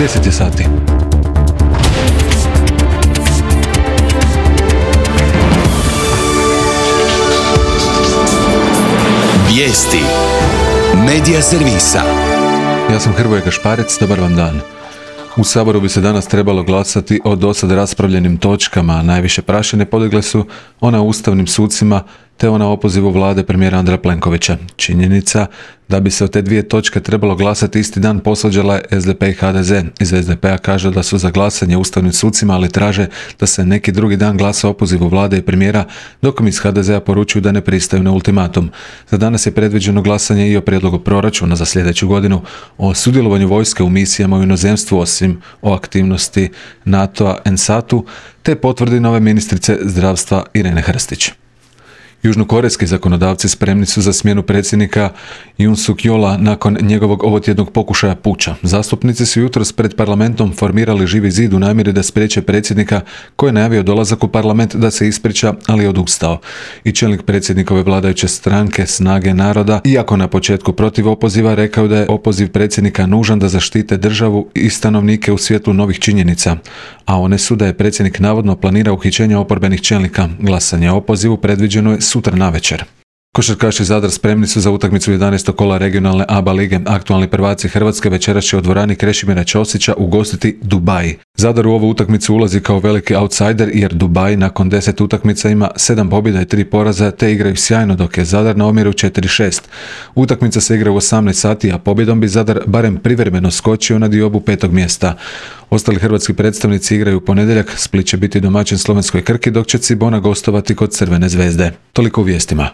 10 je sati. Vijesti Medija servisa. Ja sam Hrvoje Gašparec, dobar vam dan. U Saboru bi se danas trebalo glasati o dosad raspravljenim točkama. Najviše prašine podigle su ona o ustavnim sucima te ona o opozivu vlade premijera Andreja Plenkovića. Činjenica da bi se o te dvije točke trebalo glasati isti dan posvađala je SDP i HDZ. Iz SDP-a kaže da su za glasanje ustavnim sucima, ali traže da se neki drugi dan glasa o opozivu vlade i premijera, dok im iz HDZ-a poručuju da ne pristaju na ultimatum. Za danas je predviđeno glasanje i o prijedlogu proračuna za sljedeću godinu, o sudjelovanju vojske u misijama u inozemstvu, osim o aktivnosti NATO-a NSAT-u, te potvrdi nove ministrice zdravstva Irene Hrstić. Južnokorejski zakonodavci spremni su za smjenu predsjednika Yoon Suk Yeola nakon njegovog ovotjednog pokušaja puča. Zastupnici su jutros pred parlamentom formirali Živi zid u namjeri da spriječe predsjednika koji je najavio dolazak u parlament da se ispriča, ali je odustao. I čelnik predsjednikove vladajuće stranke Snage naroda, iako na početku protiv opoziva, rekao da je opoziv predsjednika nužan da zaštite državu i stanovnike u svjetlu novih činjenica. A one su da je predsjednik navodno planirao uhićenje oporbenih čelnika. Glasanje o opozivu predviđeno je sutra navečer. Košarkaši Zadar spremni su za utakmicu 11. kola regionalne ABA lige. Aktualni prvaci Hrvatske večeras će u dvorani Krešimira Ćosića ugostiti Dubai. Zadar u ovu utakmicu ulazi kao veliki outsider jer Dubai nakon 10 utakmica ima 7 pobjeda i 3 poraza te igraju sjajno, dok je Zadar na omjeru 4-6. Utakmica se igra u 18 sati, a pobjedom bi Zadar barem privremeno skočio na diobu 5. mjesta. Ostali hrvatski predstavnici igraju u ponedjeljak. Split će biti domaćin slovenskoj Krki, dok će Cibona gostovati kod Crvene zvezde. Toliko u vijestima.